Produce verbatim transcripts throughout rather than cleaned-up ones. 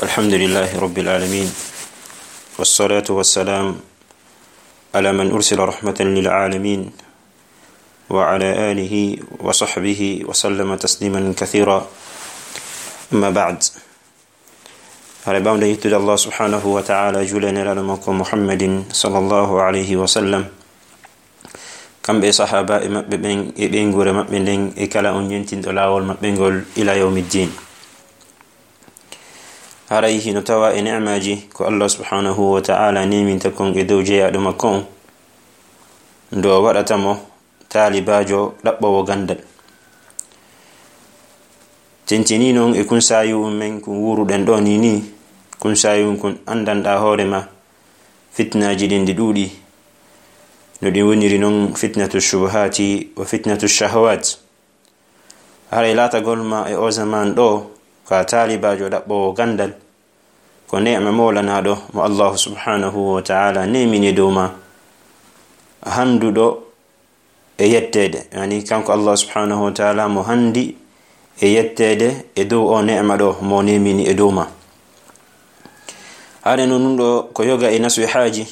الحمد لله رب العالمين، والصلاة والسلام على من أرسل رحمة للعالمين، وعلى آله وصحبه وسلم تسليما كثيرا. أما بعد. Hara ɓamde yettude Allah subhanahu wa ta'ala, juule e nelaaɗo makko Muhammadin sallallahu alayhi wa sallam, kamɓe e sahaaba e maɓɓe ɓen e ɓeynguure maɓɓe nden e kala on ñentinɗo laawol maɓɓe ngol ila yawmiddin. Haray hino tawa e ne'maaji ko Allah subhanahu wa ta'ala neeminta kon e dow jeyaaɗo makko on, ndo waɗata mo taalibaajo ɗaɓɓoowo ganndal. Tentini non e kunsaayu men kun wuuruɗen ɗo ni ni, kunsaayu kun anndanɗaa hoore ma, fitnaaji ɗin ɗi ɗuuɗi. No ɗin woniri non fitnatu shubuhaati wa fitnatu shahawaat. Haray laatagol ma e o zaman ɗo ka taalibaajo ɗaɓɓoowo ganndal, ko neema moolanaaɗo mo Allahu subhanahu wa ta'ala neemini dow ma, hannduɗo e yetteede. Yani kanko Allah subhanahu wa ta'ala mo hanndi e yetteede e dow o neema ɗo mo neemini e dow ma. Haray non ɗun ɗo ko yoga e nasihaaji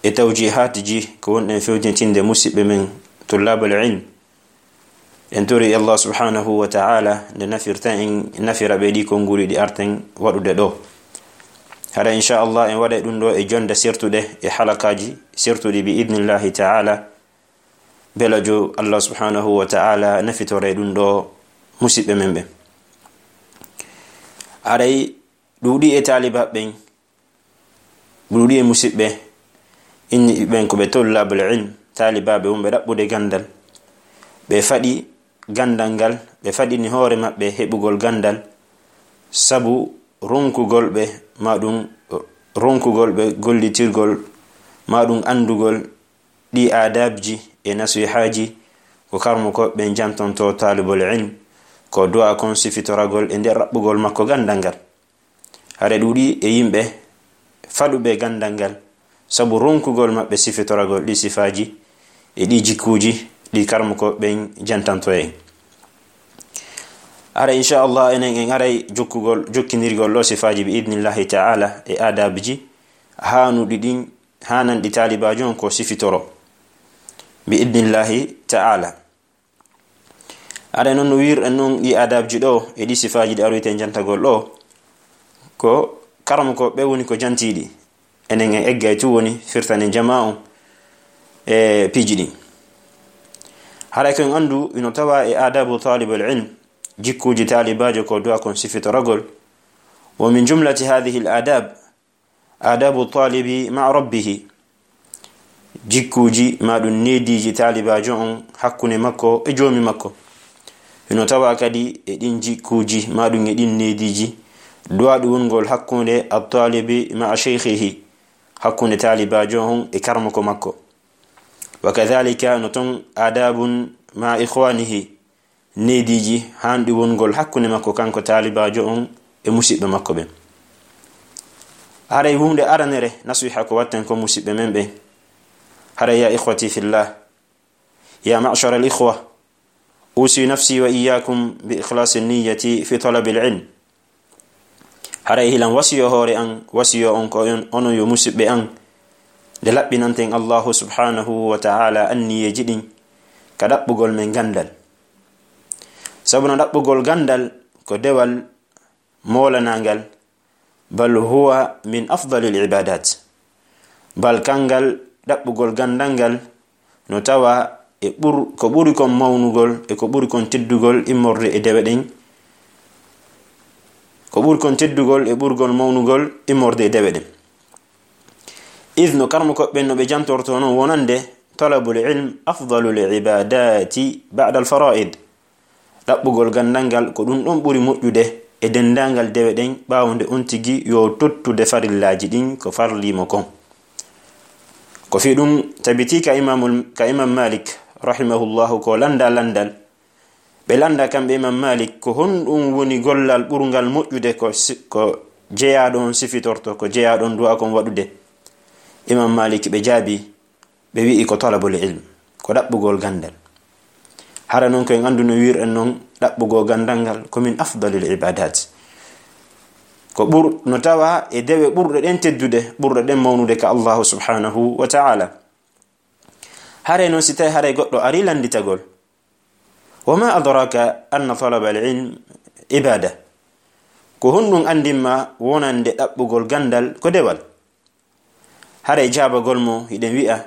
e tawjihaatiji ko wonɗen fewjintinde musiɓɓe men tullabal ilm. En tori Allah subhanahu wa ta'ala nde nafirta en, nafira ɓe ɗi konguɗi ɗi arten waɗude ɗo. Hara, insha Allah, en waɗay ɗun ɗo e jonde sertuɗe e halakaaji sertuɗi bi idnillahi ta'ala. Belajo Allah subhanahu wa ta'ala nafitore ɗun ɗo musiɓɓe men ɓen. Haray ɗuuɗi e taalibaaɓe ɓen, ɗuuɗi e musiɓɓe, inni ɓen ko ɓe tullabul ilm, taalibaaɓe wonɓe ɗaɓɓude ganndal. Ɓe faɗi ganndal ngal, ɓe faɗini hoore maɓɓe heɓugol ganndal sabu ronkugol ɓe, ma ɗum ronkugol ɓe gollitirgol, ma ɗum anndugol ɗi aadabji e nasihaaji ko karmukooɓe ɓen jantonto taalibol ilm, ko du'a kon sifitoragol e nder ɗaɓɓugol makko ganndal ngal. Hara ɗuuɗi e yimɓe faɗuɓe ganndal ngal sabu ronkugol maɓɓe sifitoragol ɗi sifaaji e ɗi jikkuuji ɗi karmukooɓe ɓen jantanto en. Hara, insha Allah, enen en aray jokkugol, jokkindirgol ɗo sifaaji bi idnillahi ta'ala e aadabji haanuɗi ɗin, haananɗi taalibaajo on ko sifitoro bi idnillahi ta'ala. Hara non no wiirɗen non ɗi aadabji ɗo e ɗi sifaaji ɗi aroyten jantagol ɗo, ko karamokooɓe woni ko jantiiɗi. Enen en eggay tun woni firtanen jamaa on e piiji ɗin. Haray ko en anndu hino tawa e aadabu taalibul ilm, jikkuuji taalibaajo ko du'a kon sifitoragol. Wa min jumlati hadhihi al aadab, aadabu taalibi ma'a rabbihi. Jikkuuji ma ɗum neediiji taalibaajo on hakkunde makko e joomi makko. Hino tawa kadi e ɗin jikkuuji ma ɗum e ɗin neediiji du'aaɗi wongol hakkunde at-taalibi ma'a shaykhihi, hakkunde taalibaajo on e karmoko makko. Wa kadhalika no ton aadabun ma'a ikhwanihi, neediiji haanɗi wongol hakkunde makko kanko taalibaajo on e musiɓɓe makko ɓen. Haray huunde aranere nasiha ko watten ko musiɓɓe men ɓen. Haray ya ikhwati fillah, ya ma'shara al ikhwa, usi nafsi wa iyyakum bi ikhlasi niyyati fi talabil ilm. Haray hilan wasiyo hoore an, wasiyo on ko on, onon yo musiɓɓe an, nde laɓɓinanten Allahu subhanahu wa ta'ala anniyeeji ɗin ka ɗaɓɓugol men ganndal. Sabu no ɗaɓɓugol ganndal ko dewal moolanangal, bal huwa min afdalil ibadat. Bal kangal ɗaɓɓugol ganndal ngal no tawa e ɓur-, ko ɓuri kon mawnugol e ko ɓuri kon teddugol immorde e dewe ɗen, ko ɓuri kon teddugol e ɓurgol mawnugol immorde e dewe ɗen. Id no karmukooɓe ɓen no ɓe jantorto non wonande talabul ilm afdalul ibadati ba'da al fara'id. Ɗaɓɓugol ganndal ngal ko ɗum ɗon ɓuri moƴƴude e denndaangal dewe ɗen, ɓaawo nde on tigi yo tottude farillaaji ɗin ko farliimo kon. Ko fii ɗum tabitii ka Imaamul, ka Imaam Maalik, rahimahullahu, ko lannda lanndal. Ɓe lannda kamɓe Imaam Maalik, ko honɗum woni gollal ɓurngal moƴƴude ko si-, ko jeyaaɗo on sifitorto, ko jeyaaɗo on du'a kon waɗude? Imaam Maalik ɓe jaabi, ɓe wi'i ko talabul ilm, ko ɗaɓɓugol ganndal. Hara non ko en anndu no wiirɗen non ɗaɓɓugol ganndal ngal ko min afdalil ibadat. Ko ɓur-, no tawa e dewe ɓurɗe ɗen teddude, ɓurɗe ɗen mawnude ka Allahu subhanahu wa ta'ala. Haray noon si tawi haray goɗɗo ari lannditagol, "Wa ma adraka anna talaba al-ilm ibada?" Ko honɗum anndin ma wonande ɗaɓɓugol ganndal ko dewal? Haray jaabagol mo hiɗen wi'a,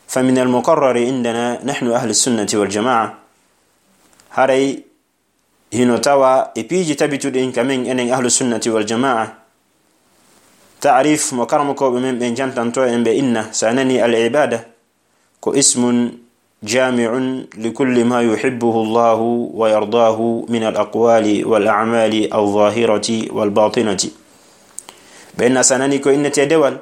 "Fa min al-muqarrari indana nahnu ahli sunnati wal jamaa." Haray hino tawa e piiji tabituɗi ka men enen ahlu sunnati wal jamaa. Ta'rif mo karamokooɓe men ɓen jantanto en ɓe inna, sa nani al ibada, ko ismun jami'un li kulli ma yuhibbuhu Allahu wa yardahu min al aqwali wal a'mali al zahirati wal batinati. Ɓe inna sa nani ko innete dewal,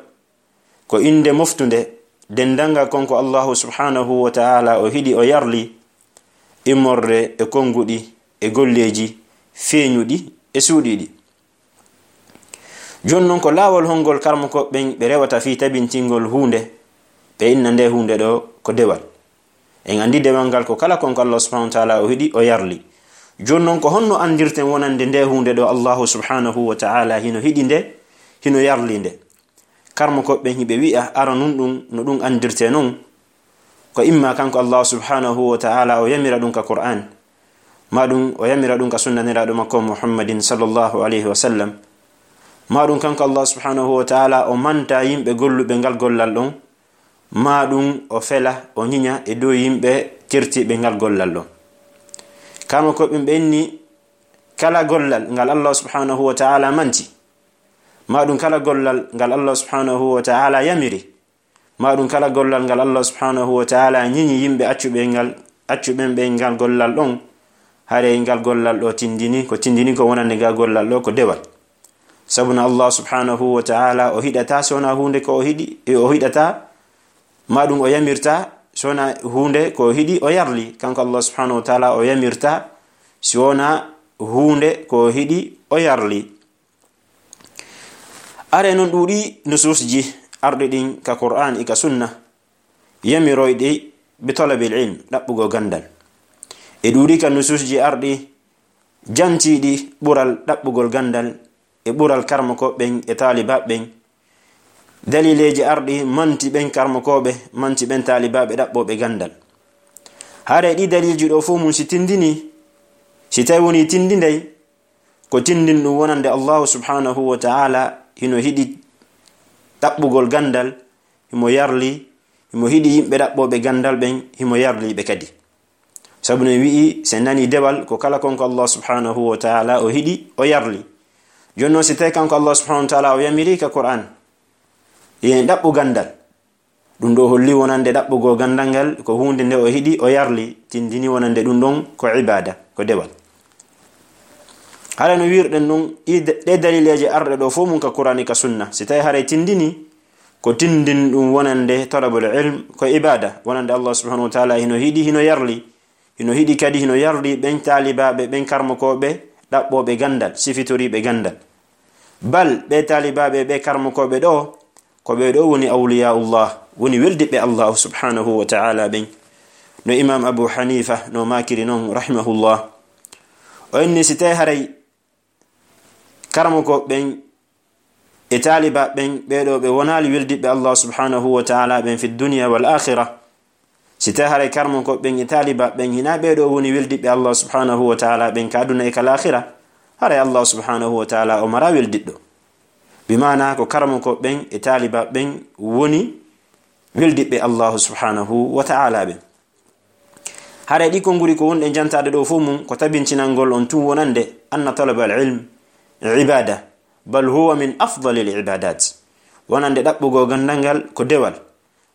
ko innde moftunde, denndaangal kon ko Allahu subhanahu wa ta'ala o hiɗi, o yarli, immorde e konnguɗi, e golleeji feeñuɗi, e suuɗiiɗi. Jooni noon, ko laawol honngol karamokooɓe ɓen ɓe rewata fii tabintingol huunde, ɓe inna nde huunde ɗo ko dewal? En anndi dewal ngal ko kala kon ko Allah subhanahu wa ta'ala o hiɗi, o yarli. Jooni noon, ko honno anndirten wonande nde huunde ɗo Allahu subhanahu wa ta'ala hino hiɗi nde, hino yarli nde? Karamokooɓe ɓen hiɓe wi'a, ara nun ɗum, no ɗum anndirte non, ko imma kanko Allah subhanahu wa ta'ala o yamira ɗum ka Qur'an, ma ɗum o yamira ɗum ka sunna Nelaaɗo makko Muhammadin sallallahu alayhi wa sallam, ma ɗum kanko Allah subhanahu wa ta'ala o manta yimɓe golluɓe ngal gollal ɗon, ma ɗum o fela, o ñiña e dow yimɓe tirtiiɓe ngal gollal ɗon. Karamokooɓe ɓen ɓe inni, kala gollal ngal Allah subhanahu wa ta'ala manti, ma ɗum kala gollal ngal Allah subhanahu wa ta'ala yamiri, ma ɗum kala gollal ngal Allah subhanahu wa ta'ala ñiñi yimɓe accuɓe ngal, accuɓen ɓe ngal gollal ɗon, haray ngal gollal ɗo tindini, ko tindini ko wonande ngal gollal ɗo ko dewal. Sabu no Allah subhanahu wa ta'ala o hiɗata so wona huunde ko o hiɗi, e o hiɗata, ma ɗum o yamirta so wona huunde ko o hiɗi, o yarli. Kanko Allah subhanahu wa ta'ala o yamirta si wona huunde ko o hiɗi, o yarli. Are non ɗuuɗi nususji arɗi ɗin ka Qur'an e ka sunna, yamiroyɗi bi talabil ilm, ɗaɓɓugol ganndal. E ɗuuɗi ka nususji arɗi jantiiɗi ɓural ɗaɓɓugol ganndal e ɓural karamokooɓe ɓen e taalibaaɓe ɓen. Dalileeji arɗi manti ɓen karamokooɓe, manti ɓen taalibaaɓe ɗaɓɓooɓe ganndal. Haray ɗi daliilji ɗo fof mum si tindini, si tawi woni tindinday, ko tindin ɗum wonande Allahu subhanahu wa ta'ala hino hiɗi ɗaɓɓugol ganndal, himo yarli, himo hiɗi yimɓe ɗaɓɓooɓe ganndal ɓen, himo yarli ɓe kadi. Sabu no wi'i, si en nani dewal, ko kala kon ko Allah subhanahu wa ta'ala o hiɗi, o yarli. Jooni noon, si tawi kanko Allah subhanahu wa ta'ala o yamiri ka Qur'an, yen ɗaɓɓu ganndal, ɗum ɗo holli wonande ɗaɓɓugol ganndal ngal ko huunde nde o hiɗi, o yarli, tindini wonande ɗum ɗon ko ibaada, ko dewal. Haray no wiirɗen ɗum, i de-, ɗe dalileeje arɗe ɗo fof mum ka Qur'an e ka sunna, si tawi haray tindini, ko tindin ɗum wonande talabul ilm ko ibaada, wonande Allah subhanahu wa ta'ala hino hiɗi, hino yarli, hino hiɗi kadi, hino yarli ɓen taalibaaɓe, ɓen karmokooɓe, ɗaɓɓooɓe ganndal, sifitoriiɓe ganndal. Bal ɓe taalibaaɓe, ɓe karmokooɓe ɗo, ko ɓe ɗo woni awliyaullah, woni weldiɓɓe Allah subhanahu wa ta'ala ɓen. No Imam Abu Hanifa no maakiri non, rahimahullah. O inni si tawi haray karamokooɓe ɓen e taalibaaɓe ɓen, ɓee ɗoo ɓe wonaali weldiɓɓe Allah subhanahu wa ta'ala ɓen fi dunya wal akhira, si tawi haray karamokooɓe ɓen e taalibaaɓe ɓen hinaa ɓee ɗoo woni weldiɓɓe Allah subhanahu wa ta'ala ɓen ka aduna e ka laakhira, haray Allah subhanahu wa ta'ala o maraa weldiɗɗo. Bi maana ko karamokooɓe ɓen e taalibaaɓe ɓen woni weldiɓɓe Allah subhanahu wa ta'ala ɓen. Haray ɗi konnguɗi ko wonɗen jantaade ɗoo fof mum ko tabintinangol on tun wonande anna talaba al ilm ibada, bal huwa min afdali al ibadat. Wonande ɗaɓɓugol ganndal ngal ko dewal,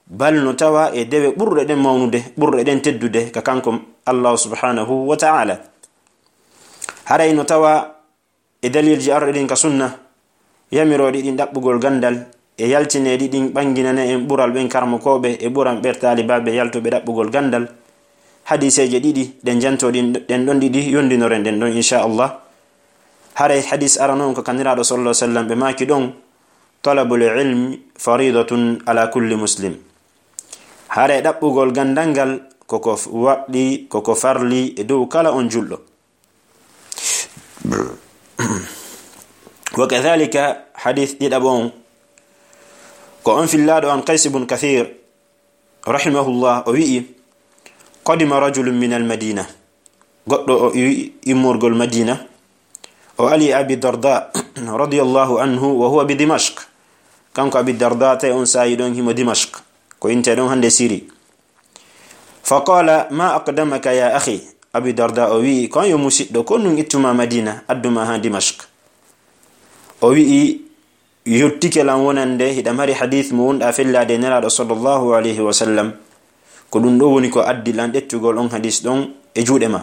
bal no tawa e dewe ɓurɗe ɗen mawnude, ɓurɗe ɗen teddude ka kanko Allah subhanahu wa ta'ala. Haray no tawa e dalilji arɗi ɗin ka sunna, yamirooɗi ɗin ɗaɓɓugol ganndal, e yaltineeɗi ɗin ɓannginane en ɓural ɓen karmokooɓe e ɓural ɓen taalibaaɓe yaltuɓe ɗaɓɓugol ganndal. Hadiiseeje ɗiɗi ɗen janto ɗin, ɗen ɗon ɗiɗi yondinoren ɗen ɗon, inchallah. Haray hadiis arano on ko ka Nelaaɗo sallallahu alaihi wasallam ɓe maaki ɗon, "Talabul ilmi faridatun ala kulli muslim." Haray ɗaɓɓugol ganndal ngal koko f-, waɗɗi, koko farli e dow kala on julɗo. Wa kadhalika hadith ɗiɗaɓo on, ko on fillaaɗo an Qays ibn Kathir, rahimahullah, o wi'i, "Qadima rajulun min al-Madina." Goɗɗo o i-, immorgol Madina, o ali Abi Darda, radiyallahu anhu, wa huwa bi Dimashq. Kanko Abi Darda, tawi on saa'i ɗon himo Dimashq, ko inte ɗon hande Siri. Fa qala, "Ma aqdamaka ya akhi?" Abi Darda o wi'i, "Ko an yo musiɗɗo, ko nun ittuma Madina, adduma ha Dimashq?" O wi'i, "Yottike lan wonande hiɗa mari hadith mo wonɗa fellaade Nelaaɗo sallallahu alayhi wa sallam. Ko ɗum ɗo woni ko addi lan ƴettugol on hadith ɗon e juuɗe ma."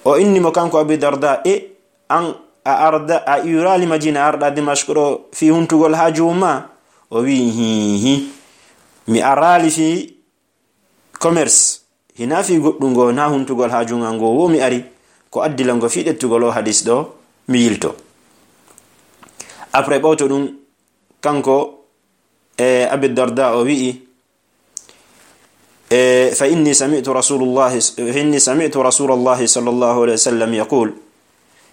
O inni mo kanko Abi Darda, "E an a arda, a iwraali Madina, arɗa Dimashq ɗo fii huntugol haaju ma?" O wi'i, "Hii, hii. Mi araali fii commerce, hinaa fii goɗɗum ngo, naa huntugol haaju ngal ngo, wo mi ari, ko addi lan ngo fii ƴettugol o hadis ɗo, mi yilto." Après ɓawto ɗum, kanko e Abi Darda o wi'i, e, "Fa inni sami'tu Rasulullahi, fa inni sami'tu Rasulallahi sallallahu alayhi wa sallam yaqul."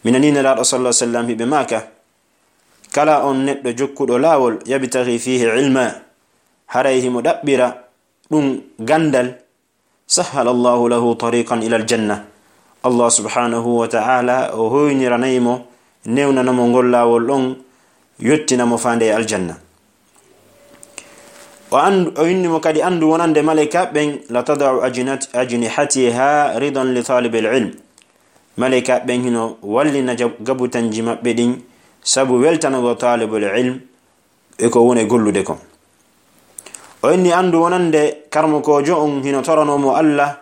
Mi nanii Nelaaɗo sallallahu alayhi wa sallam hiɓe maaka, "Kala on neɗɗo jokkuɗo laawol, yabtaghi fihi ilma, haray himo ɗaɓɓira ɗum gandal, sahhala Allahu lahu tariqan ila aljanna." Allah subhanahu wa ta'ala o hoyniranay mo, newnana mo ngol laawol ɗon, yottina mo faande e aljanna. O andu, o inni mo kadi, "Andu wonande maleyka ɓen, la tada'u ajnat-, ajnihatiha ridan li talibil ilm." Maleyka ɓen hino wallina jab-, gabutanji maɓɓe ɗin sabu weltanago talibul ilm e ko woni e gollude kon. O inni, "Andu wonande karmokoojo on hino torano mo Allah,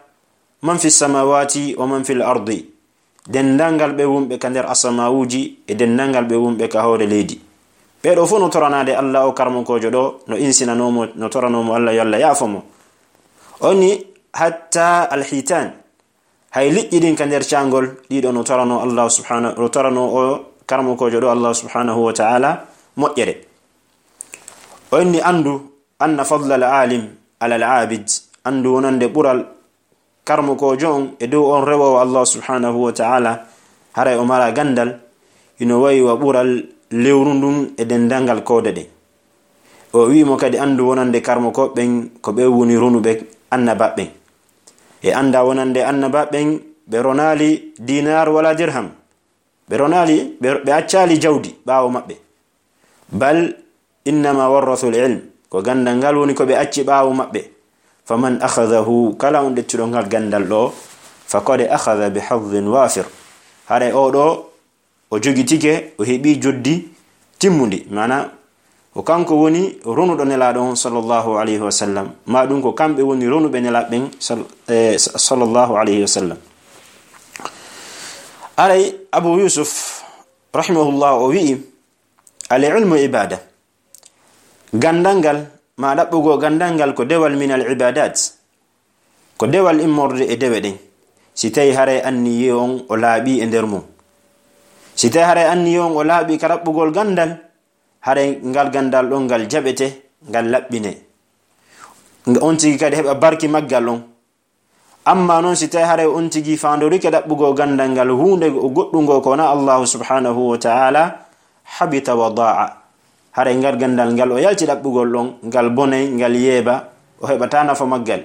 man fi samawati wa man fil ardi, denndangal ɓe wonɓe ka nder asamawuji e denndangal ɓe wonɓe ka hoore leydi." Ɓee ɗo fof no toranaade Allah o karmokoojo ɗo, no insinanoo mo, no toranoo mo Allah yo Allah yaafo mo. O inni, "Hatta alhitan, hay liƴƴi ɗin ka nder caangol, ɗiɗo no toranoo Allah subhanahu, no toranoo o karmokoojo ɗo Allah subhanahu wa ta'ala moƴƴere." O inni, "Andu anna fadla al alim ala al abid, andu wonande ɓural karmokoojo on e dow on rewoowo Allah subhanahu wa ta'ala, haray o mara gandal, hino wayi wa ɓural lewru ndun e denndangal koode ɗen." O wi'i mo kadi, "Andu wonande karmokooɓe ɓen, ko ɓe woni ronuɓe annabaaɓe ɓen. E anda wonande annabaaɓe ɓen, ɓe ronaali dinar wala dirham. Ɓe ronaali, ɓe, ɓe accaali jawdi ɓaawo maɓɓe. Bal innama warrathul ilm, ko gandal ngal woni ko ɓe acci ɓaawo maɓɓe. Faman akhadhahu, kala on ƴettuɗo ngal gandal ɗo, faqad akhadha bi hadhin wafir. Haray o ɗo, o jogitike, o heɓi joddi timmundi." Maana, ko kanko woni ronuɗo Nelaaɗo on, sallallahu alayhi wa sallam. Ma ɗum ko kamɓe woni ronuɓe Nelaaɓe ɓen, sal-, eh, sallallahu alayhi wa sallam. Aray, Abu Yusuf, rahimahullah, o wi'i, "Al ilmu ibada." Gandal ngal, ma ɗaɓɓugol gandal ngal, ko dewal min al ibadat. Ko dewal immorde e dewe ɗen. Si tawi haray anniye on o laaɓi e nder mum. Si tawi haray anniye on o laaɓi ka ɗaɓɓugol gandal, haray ngal gandal ɗon ngal jaɓete, ngal laɓɓine. Nga on tigi kadi heɓa barki maggal on. Amma non, si tawi haray on tigi faandorike ɗaɓɓugol gandal ngal huunde goɗɗungo ko wona Allahu subhanahu wa ta'ala, habita wa da'a. Haray ngal gandal ngal o yalti ɗaɓɓugol ɗon, ngal bonay, ngal yeeba, o heɓata nafa maggal.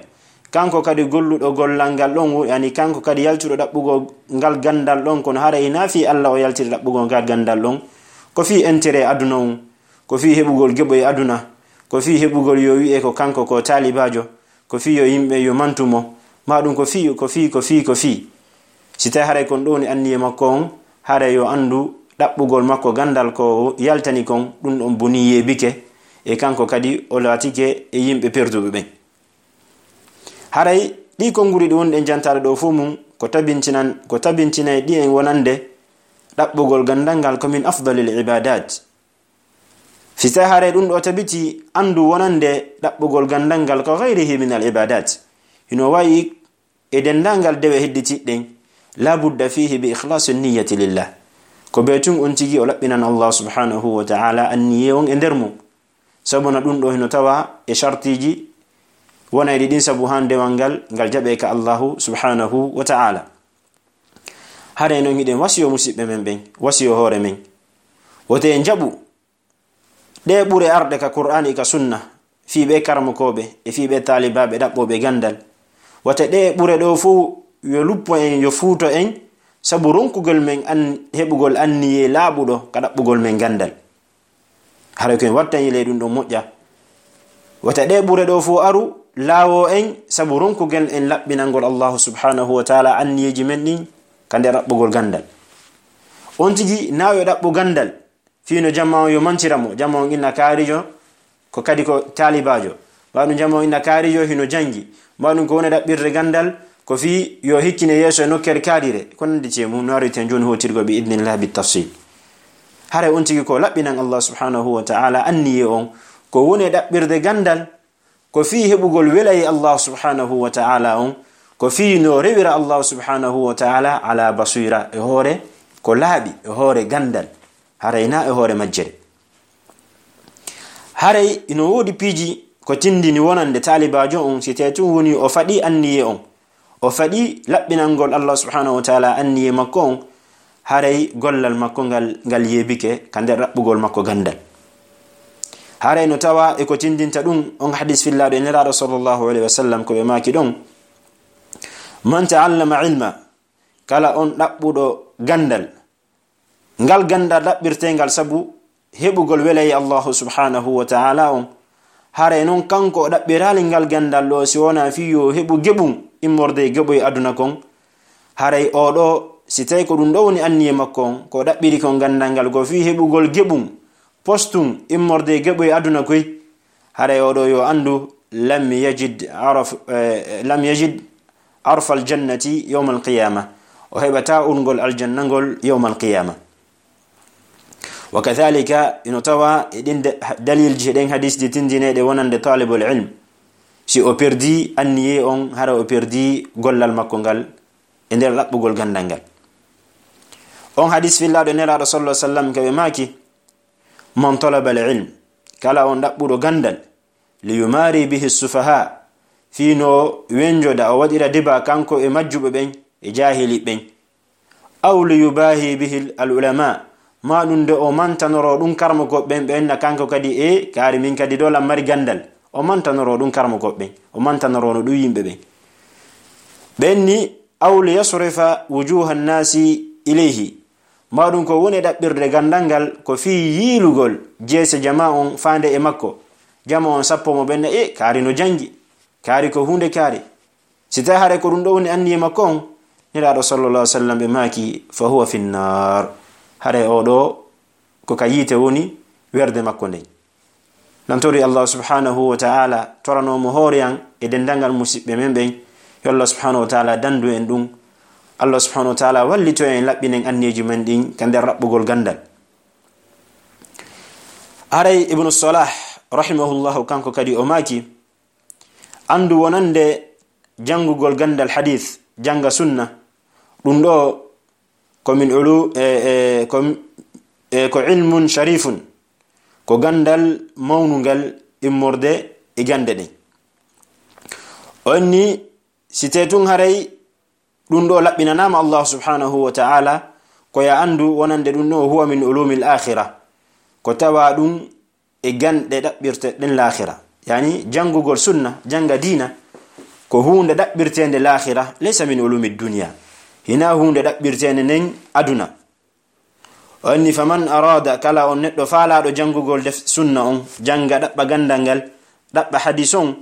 Kanko kadi golluɗo gollal ngal ɗon, yani kanko kadi yaltuɗo ɗaɓɓugol ngal gandal ɗon, kono haray hinaa fii Allah o yaltiri ɗaɓɓugol ngal gandal ɗon, ko fii intérêt aduna on, ko fii heɓugol geɓoy aduna, ko fii heɓugol yo wi'e ko kanko ko taalibaajo, ko fii yo yimɓe yo mantu mo, ma ɗum ko fii, ko fii, ko fii, ko fii. Si tawi haray kon ɗo woni anniye makko on, haray yo anndu ɗaɓɓugol makko gandal ko yaltani kon, ɗum ɗon boni yeebike, e kanko kadi o laatike e yimɓe perduɓe ɓen. Haray ɗi konguɗi ɗi wonɗen jantaade ɗo fof mum, ko tabintinan-, ko tabintinay ɗi en wonande ɗaɓɓugol gandal ngal ko min afdalil ibadat. Si tawi haray ɗum ɗo tabiti, anndu wonande ɗaɓɓugol gandal ngal ko gayrihi min al ibadat. Hino wayi e denndaangal dewe hedditiiɗe ɗen, la budda fihi bi ikhlasi niyyati lillah. Ko bee tun on tigi o laɓɓinan Allah subhanahu wa ta'ala anniye on e nder mum. Sabuna ɗum ɗo hino tawa e shartiiji wonayɗi ɗin sabu haa dewal ngal, ngal jaɓe ka Allahu subhanahu wa ta'ala. Haray non hiɗen wasiyo musiɓɓe men ɓen, wasiyo hoore men. Wote en jaɓu ɗe ɓure arɗe ka Qur'aani e ka Sunna, fii ɓe karamokooɓe e fii ɓe taalibaaɓe ɗaɓɓooɓe ganndal. Wata ɗe ɓure ɗo fow yo luppo en, yo fuuto en, sabu ronkugol men an-, heɓugol anniyee laaɓuɗo ka ɗaɓɓugol men ganndal. Haray ko en wattani ley ɗum ɗon moƴƴa. Wata ɗe ɓure ɗo fow aru laawo en, sabu ronkugol en laɓɓinangol Allaahu subhaanahu wa ta'aalaa anniyeeji men ɗin ka nder ɗaɓɓugol ganndal. On tigi na yo ɗaɓɓu ganndal, fii no jamaa on yo mantira mo, jamaa on inna kaarijo, ko kadi ko taalibaajo. Mbaɗun jamaa on inna kaarijo hino janngi. Mbaɗun ko woni ɗaɓɓirde ganndal, ko fii yo hikkine yeeso e nokkeere kaarire. Ko nanndi e mum, no areten jooni hootirgo bi idnillah bit tafsil. Haray on tigi ko laɓɓinan Allah subhanahu wa ta'ala anniyee on, ko woni ɗaɓɓirde ganndal, ko fii heɓugol welayee Allah subhanahu wa ta'ala on, ko fii no rewira Allah subhanahu wa ta'ala ala basira, e hoore ko laaɓi, e hoore ganndal, haray na e hoore majjere. Haray ino woodi piiji ko tindini wonande taalibaajo on, si tee tun woni o faɗi anniyee on, o faɗi laɓɓinangol Allah subhanahu wa ta'ala anniyee makko on, haray gollal makko ngal, ngal yeebike ka nder ɗaɓɓugol makko ganndal. Haray no tawa e ko tindinta ɗum on hadis fillaaɗo e Nelaaɗo sallallahu alayhi wa sallam, ko ɓe maaki ɗon: "Man ta'allama ilma", kala on ɗaɓɓuɗo ganndal, ngal ganndal ɗaɓɓirteengal sabu heɓugol welayee Allahu subhanahu wa ta'ala on, haray non kanko o ɗaɓɓiraali ngal ganndal ɗo si wonaa fii yo heɓu geɓum immorde e geɓoy aduna kon. Haray oo ɗoo, si tawii ko ɗum ɗoo woni anniyee makko on, ko o ɗaɓɓiri kon ganndal ngal ko fii heɓugol geɓum postum immorde e geɓoy aduna koy, haray oo ɗoo yo anndu, lam yajid araf-, eh, lam yajid arfal jannati yawmal qiyama. O heɓataa urngol aljanna ngol yawmal qiyama. Wa kadhalika, ino tawa e ɗin da-, dalilji, e ɗen hadisji tindineeɗe wonande talibul ilm, si o perdi anniyee on, hara o perdi gollal makko ngal e nder ɗaɓɓugol ganndal ngal. On hadis fillaaɗo Nelaaɗo sallallahu alaihi wasallam, ka ɓe maaki: "Man talaba al ilm", kala on ɗaɓɓuɗo ganndal, "li yumari bihi sufaha", fii no wenjoda, o waɗira deba kanko e majjuɓe ɓen e jaahili ɓen, "aw li yubahi bihi al ulama", maa ɗum nde o mantanoro ɗum karmokooɓe ɓen, ɓe enna kanko kadi, e kaari min kadi ɗo lan mari ganndal, o mantanoro ɗum karmokooɓe ɓen, o mantanoro no ɗum yimɓe ɓen. Ɓen ni, "aw li yasrifa wujuha nnasi ilayhi", maa ɗum ko woni ɗaɓɓirde ganndal ngal ko fii yiilugol jeese jamaa on faande e makko. Jamaa on sappo mo ɓen, e kaari no janngi, kaari ko huunde kaari. Si tawii haray ko ɗum ɗoo woni anniyee makko on, Nelaaɗo sallallahu alaihi wasallam ɓe maaki: "Fa huwa fi nnar", haray oo ɗoo ko ka yiite woni werde makko nden. Nan tori Allah subhanahu wa ta'ala, toranoo mo hoore an e denndangal musiɓɓe men ɓen, yo Allah subhanahu wa ta'ala danndu en ɗum. Allah subhanahu wa ta'ala wallito en, laɓɓinen anniyeeji men ɗin ka nder raɓɓugol ganndal. Haray Ibnu Salah, rahimahullahu, kanko kadi o maaki: Anndu wonande janngugol ganndal hadith, jannga sunna, ɗum ɗoo ko min ulu-, e, e, ko, e, ko ilmun sharifun, ko ganndal mawnungal immorde e gannde ɗen. On ni, si tee tun haray ɗum ɗoo laɓɓinanaama Allah subhanahu wa ta'ala, ko ya anndu wonande ɗum ɗoo huwa min ulumil akhira, ko tawa ɗum e ganɗe ɗaɓɓirte ɗen laakhira. Yani, janngugol sunna, jannga diina, ko huunde ɗaɓɓirteende laakhira, laysa min ulumi dunya. Hinaa huunde ɗaɓɓirteende nden aduna. O inni: "Faman arada", kala on neɗɗo faalaaɗo janngugol def sunna on, jannga, ɗaɓɓa ganndal ngal, ɗaɓɓa hadis on,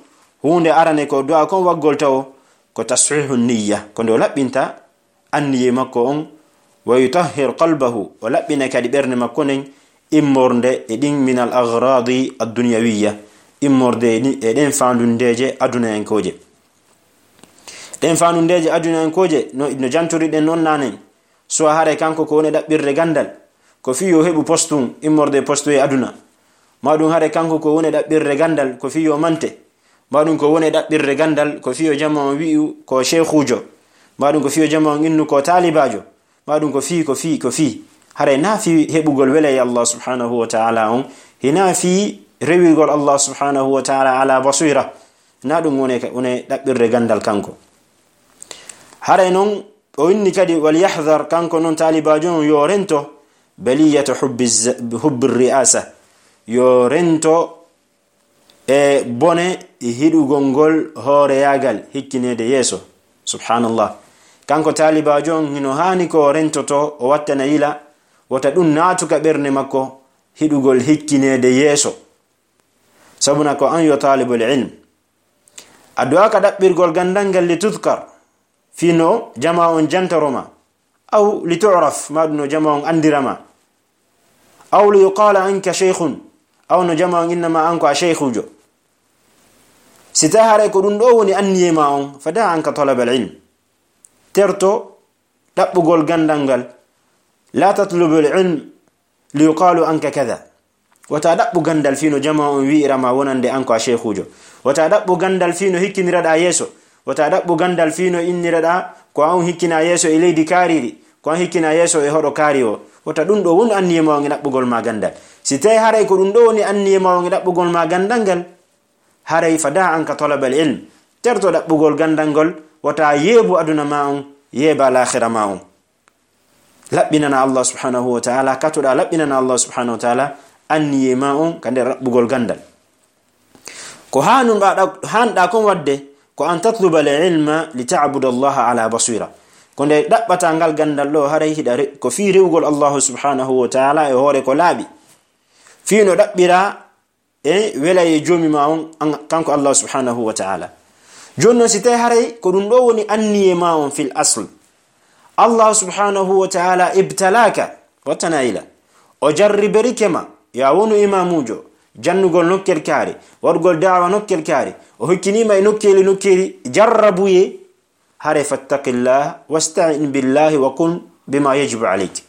huunde arane ko du'a kon waggol tawo, ko tashihu niyya, ko nde o laɓɓinta anniyee makko on, "wa yutahhir qalbahu", o laɓɓina kadi ɓernde makko nden, immorde e ɗin min al aghradi ad dunyawiyya, immorde e ɗi-, e ɗen faandundeeje adunayankooje. Ɗen faandundeeje adunayankooje, no, no jantori ɗen non naanen, soit hare kanko ko woni ɗaɓɓirde ganndal, ko fii yo heɓu postum, immorde e postu e aduna. Maa ɗum hare kanko ko woni ɗaɓɓirde ganndal, ko fii yo mante. Maa ɗum ko woni ɗaɓɓirde ganndal, ko fii yo jamaa on wi'u ko sheekhuujo. Maa ɗum ko fii yo jamaa on innu ko taalibaajo. Maa ɗum ko fii, ko fii, ko fii. Haray na fii heɓugol welayee Allah subhanahu wa ta'ala on. Hinaa fii rewigol Allah subhanahu wa ta'ala ala basira. Na ɗum woni ka, woni ɗaɓɓirde ganndal kanko. Haray non, o inni kadi, "Wal yahdhar", kanko non taalibaajo on yo rento, بلية حب الز-، حب الرئاسة. Yo rento e bone hiɗugol ngol hooreyaagal, hikkineede yeeso. Subhanallah. Kanko taalibaajo on hino haani ko o rentoto, o wattana yila, wota ɗum naatu ka ɓernde makko, hiɗugol hikkineede yeeso. Sabuna ko an yo taalibul ilm. A du'aaka ɗaɓɓirgol gandal ngal li tudkar, fii no jama on jantoro ma. Aw li tu'raf, ma ɗum no jama on andira ma. Aw li yuqala anka shaykhun, aw no jama on inna ma an ko a shaykhujo. Si tawi haray ko ɗum ɗo woni anniye ma on, fa da anka talabal ilm. Terto ɗaɓɓugol gandal ngal. La tatlubul ilm li yuqalu anka kada. Wata ɗaɓɓu gandal fii no jama on wi'ira ma wonande an ko a sheikhujo. Wata ɗaɓɓu gandal fii no hikkiniraɗa yeeso. Wata ɗaɓɓu gandal fii no inniraɗa ko an hikkina yeeso e leydi kaariri, ko an hikkina yeeso e hoɗo kaari o. Wata ɗum ɗo won anniye ma on e ɗaɓɓugol ma gandal. Si tawi haray ko ɗum ɗo woni anniye ma on e ɗaɓɓugol ma gandal ngal, haray fa da anka talabal ilm. Terto ɗaɓɓugol gandal ngol, wata yeebu aduna ma on, yeeba laakhira ma on. Laɓɓinana Allah subhanahu wa ta'ala, katoɗa laɓɓinana Allah subhanahu wa ta'ala, anniye ma on ka nder ɗaɓɓugol gandal. Ko haanunɗa, hanɗa kon wadde, ko an tatluba al ilma li ta'buda Allah ala basira. Ko nde ɗaɓɓata ngal gandal ɗo, haray hiɗa re-, ko fii rewugol Allah subhanahu wa ta'ala e hoore ko laaɓi. Fii no ɗaɓɓira e wela e joomi ma on, an, kanko Allah subhanahu wa ta'ala. Jooni non, si tawi haray ko ɗum ɗo woni anniye ma on fil asl, Allah subhanahu wa ta'ala ibtalaka, wattana ila, o jarriberike ma, ya wonu imamujo, jannugol nokkel kaari, waɗugol da'wa nokkel kaari, o hokkinima e nokkeeli nokkeeli jarrabuye, haray fattaqillah wasta'in billahi wa kun bima yajibu alayk.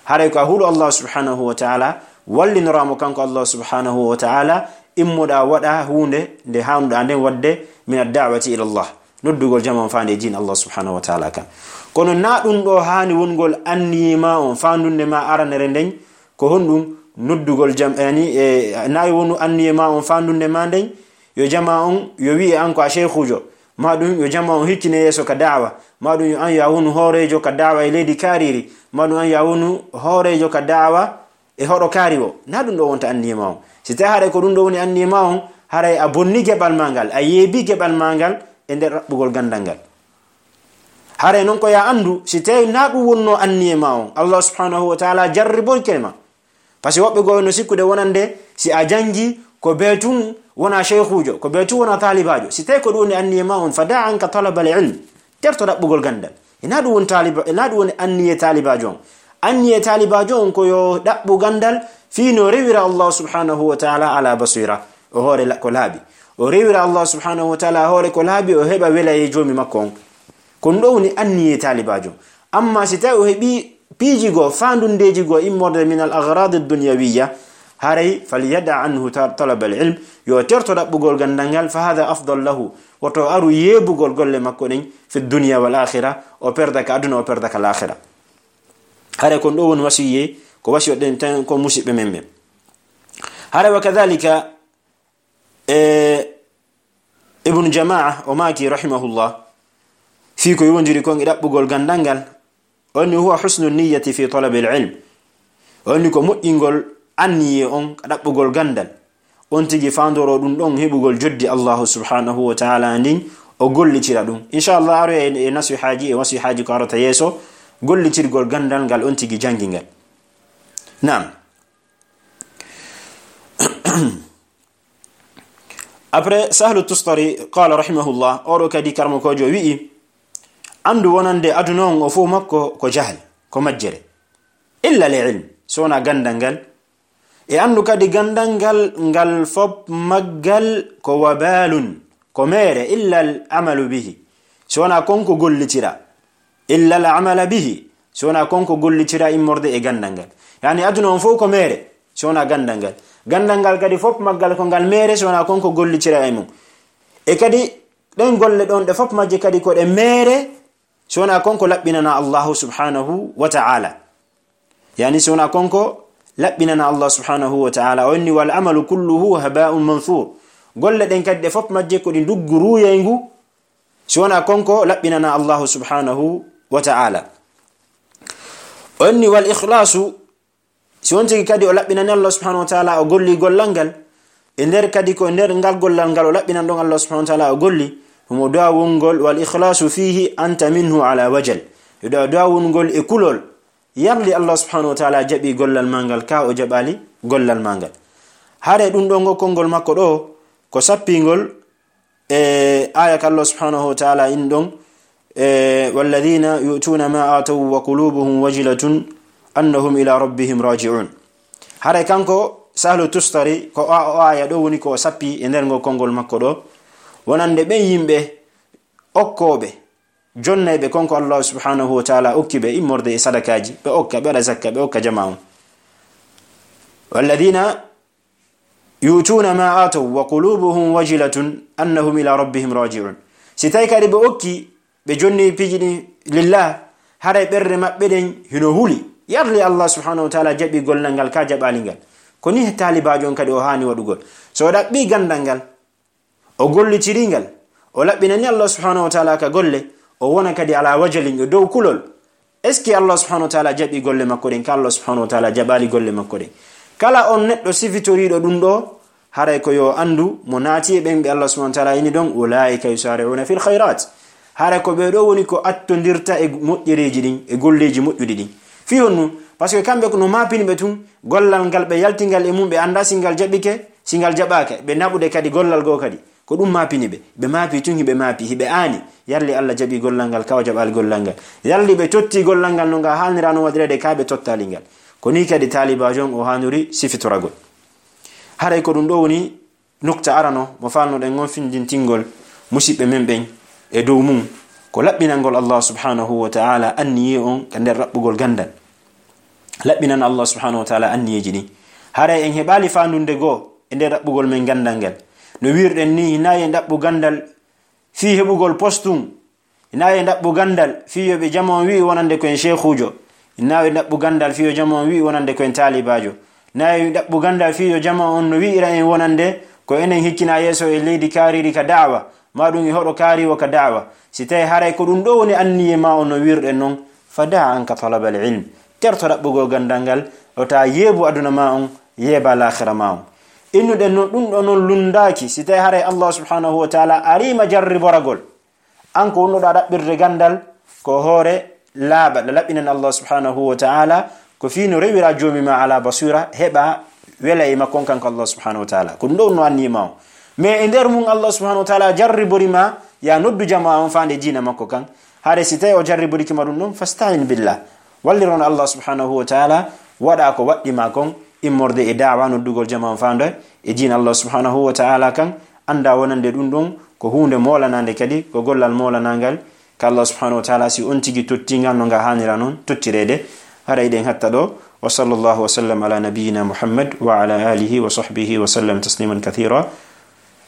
Haray ko a huɗo Allah subhanahu wa ta'ala, wallinoramo kanko Allah subhanahu wa ta'ala, immoɗa waɗa huunde nde haanuɗa nden wadde min ad-da'wati ila Allah, noddugol jama on faande e diin Allah subhanahu wa ta'ala kan. Kono na ɗum ɗo haani wongol anniye ma on faandunde ma aranere nden, ko honɗum noddugol jam-, yani, e, na wonu anniye ma on faandunde ma nden, yo jama on, yo wi'e an ko a sheikhujo, ma ɗum yo jama on hikkine yeeso ka da'wa, ma ɗum yo an ya wonu hoorejo ka da'wa e leydi kaariri, ma ɗum an ya wonu hoorejo ka da'wa e hoɗo kaari o. Na ɗum ɗo wonta anniye ma on. Si tawi haray ko ɗum ɗo woni anniye ma on, haray a bonni geɓal ma ngal, a yeebi geɓal ma ngal e nder ɗaɓɓugol gandal ngal. Haray non ko ya andu, si tawi na ɗum wonno anniye ma on, Allah subhanahu wa ta'ala jarriboyke ma. Parce que woɓɓe goo no sikkude wonande si a jangi ko bee tun wona sheikhujo, ko bee tun wona taalibaajo. Si tawi ko ɗum woni anniye ma on, fa da anka talabal ilm. Terto ɗaɓɓugol gandal. Ina ɗum woni taaliba, ina ɗum woni anniye taalibaajo on. Anniye taalibaajo on ko yo ɗaɓɓu gandal fii no rewira Allah subhanahu wa ta'ala ala basira. O hoore la-, ko laaɓi. O rewira Allah subhanahu wa ta'ala hoore ko laaɓi, o heɓa wela e joomi makko on. Ko ɗum ɗo woni anniye taalibaajo. Amma si tawi o heɓi piiji goo, faandundeeji goo immorde min al aghrad ad dunyawiyya, haray falyada anhu ta-, talab al ilm, yo terto ɗaɓɓugol gandal ngal, fa hadha afdal lahu, woto aru yeebugol golle makko ɗen fi dunya wal akhira, o perda ka aduna, o perda ka laakhira. Haray kon ɗo woni wasiye, ko wasiyo ɗen tan ko musiɓɓe men ɓen. Haray wa kadhalika, e, Ibnu Jamaa o maaki rahimahullah, fii ko yowondiri kon e ɗaɓɓugol gandal ngal, on ni huwa husnu niyyati fi talabil ilm. On ni ko moƴƴingol anniye on ka ɗaɓɓugol gandal. On tigi faandoro ɗum ɗon heɓugol joddi Allahu subhanahu wa ta'ala ndin, o gollitira ɗum. Inshallah, aro e, e nasihaaji, e wasihaaji ko arata yeeso, gollitirgol gandal ngal on tigi jangi ngal. Naam. Après, Sahlu Tustari, qala rahimahullah, oɗo kadi karmakojo wi'i, andu wonande aduna on o fof makko ko jahal, ko majjere. Illa li ilm, so wona gandal ngal. E andu kadi gandal ngal, ngal fop maggal ko wabalun, ko meere, illa al amalu bihi. So wona kon ko gollitira. Illa al amala bihi. So wona kon ko gollitira immorde e gandal ngal. Yani aduna on fof ko meere, so wona gandal ngal. Gandal ngal kadi fop maggal ko ngal meere, so wona kon ko gollitira e mum. E kadi ɗen golle ɗon ɗe fop majje kadi ko ɗe meere, so wona kon ko laɓɓinana Allahu subhanahu wa ta'ala. Yani so wona kon ko laɓɓinana Allah subhanahu wa ta'ala. O inni, "Wal amalu kulluhu haba'un manthur." Golle ɗen kadi ɗe fop majje ko ɗi nduggu ruuyayngu, so wona kon ko laɓɓinana Allahu subhanahu wa ta'ala. O inni, "Wal ikhlasu Si on tigi kadi o laɓɓinani Allah subhanahu wa ta'ala, o golli gollal ngal, e nder kadi ko e nder ngal gollal ngal o laɓɓinan ɗon Allah subhanahu wa ta'ala o golli, ɗum o du'a wongol, "Wal ikhlasu fihi anta minhu ala wajal." Yo du'a, du'a wongol e kulol. Yarli Allah subhanahu wa ta'ala jaɓi gollal ma ngal, ka o jaɓali gollal ma ngal. Hare ɗum ɗo ngo konngol makko ɗo, ko sappingol e aya ka Allah subhanahu wa ta'ala in ɗon, e, "Walladhina yu'tuna ma ataw wa qulubuhum wajilatun annahum ila rabbihim raji'un." Hare kanko Sahlu Tustari, ko o, o aya ɗo woni ko o sappi e nder ngo konngol makko ɗo, wonande ɓen yimɓe okkooɓe, jonnayɓe kon ko Allah subhanahu wa ta'ala okki ɓe immorde e sadakaaji, ɓe okka, ɓe waɗa zakka, ɓe okka jama on. "Walladhina yu'tuna ma ataw wa qulubuhum wajilatun annahum ila rabbihim raji'un." Si tawi kadi ɓe okki, ɓe jonni piiji ɗin lillah, haray ɓerɗe maɓɓe ɗen hino huli. Yarli Allah subhanahu wa ta'ala jaɓi gollal ngal, ka jaɓali ngal. Ko ni taalibaajo on kadi o haani waɗugol. So o ɗaɓɓi gandal ngal, o gollitiri ngal, o laɓɓinani Allah subhanahu wa ta'ala ka golle, o wona kadi ala wajalin, o dow kulol. Est-ce que Allah subhanahu wa ta'ala jaɓi golle makko ɗen? Ka Allah subhanahu wa ta'ala jaɓali golle makko ɗen. Kala on neɗɗo sifitoriiɗo ɗum ɗo, haray ko yo anndu mo naati e ɓen ɓe Allah subhanahu wa ta'ala ini ɗon, "Ulaa'ika yusari'una fil khayrat." Haray ko ɓe ɗo woni ko attondirta e moƴƴereeji ɗin, e golleeji moƴƴuɗi ɗin. Fii honɗum? Parce que kamɓe ko no maapini ɓe tun, gollal ngal ɓe yalti ngal e mum, ɓe annda si ngal jaɓike, si ngal jaɓaaka, ɓe naɓude kadi gollal goo kadi. Ko ɗum maapini ɓe. Ɓe maapi tun, hiɓe maapi, hiɓe aani. Yarli Allah jaɓi gollal ngal, ka o jaɓali gollal ngal. Yarli ɓe totti gollal ngal no ngal haanira non waɗireede, ka ɓe tottali ngal. Ko ni kadi taalibaajo on o haanori sifitoragol. Haray ko ɗum ɗo woni nukta arano mo faalnoɗen on findintingol musiɓɓe men ɓen e dow mum. Ko laɓɓinangol Allah subhanahu wa ta'ala anniye on ka nder raɓɓugol gandal. Laɓɓinan Allah subhanahu wa ta'ala anniyeeji ɗin. Haray en heɓaali faandunde goo e nder ɗaɓɓugol men gandal ngal. No wiirɗen ni, hinaa yo en ɗaɓɓu gandal fii heɓugol postum. Hinaa yo en ɗaɓɓu gandal fii yo ɓe jama on wi'i wonande ko en sheekhuujo. Hinaa yo en ɗaɓɓu gandal fii yo jama on wi'i wonande ko en taalibaajo. Hinaa yo en ɗaɓɓu gandal fii yo jama on no wi'ira en wonande ko enen hikkina yeeso e leydi kaariri ka da'wa. Ma ɗum e hoɗo kaari wo ka da'wa. Si tawi haray ko ɗum ɗo woni anniye ma on no wiirɗen non, fa da' anka talabal ilm. Terto ɗaɓɓugol gandal ngal, o ta yeebu aduna ma on, yeeba laakhira ma on. Innuɗen non, ɗum ɗo non lundaaki, si tawi haray Allah subhanahu wa ta'ala arima jarriboragol. An ko wonɗo ɗa ɗaɓɓirde gandal, ko hoore laaɓa, ɗa laɓɓinan Allah subhanahu wa ta'ala, ko fii no rewira joomi ma ala basira, heɓa wela e makko on kanko Allah subhanahu wa ta'ala. Ko ɗum ɗo wonno anniye ma on. Mais e nder mum Allah subhanahu wa ta'ala jarribori ma, ya noddu jama on faande diina makko kan. Hare si tawi o jarriboriki ma ɗum ɗon, fasta'in billah. Walliron Allah subhanahu wa ta'ala, waɗa ko waɗɗi ma kon, immorde e da'wa noddugol jama on faande e diina Allah subhanahu wa ta'ala kan, anda wonande ɗum ɗon ko huunde moolanande kadi, ko gollal moolanangal, ka Allah subhanahu wa ta'ala, si on tigi tottingal no nga haanira non tottireede. Hara eɗen hatta ɗo. Wa sallallahu wa sallam ala nabiyyina Muhammad wa ala alihi wa sahbihi wa sallam tasliman kathira.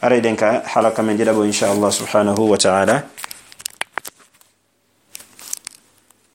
Hara eɗen ka halaka men ɗiɗaɓo, insha Allah subhanahu wa ta'ala.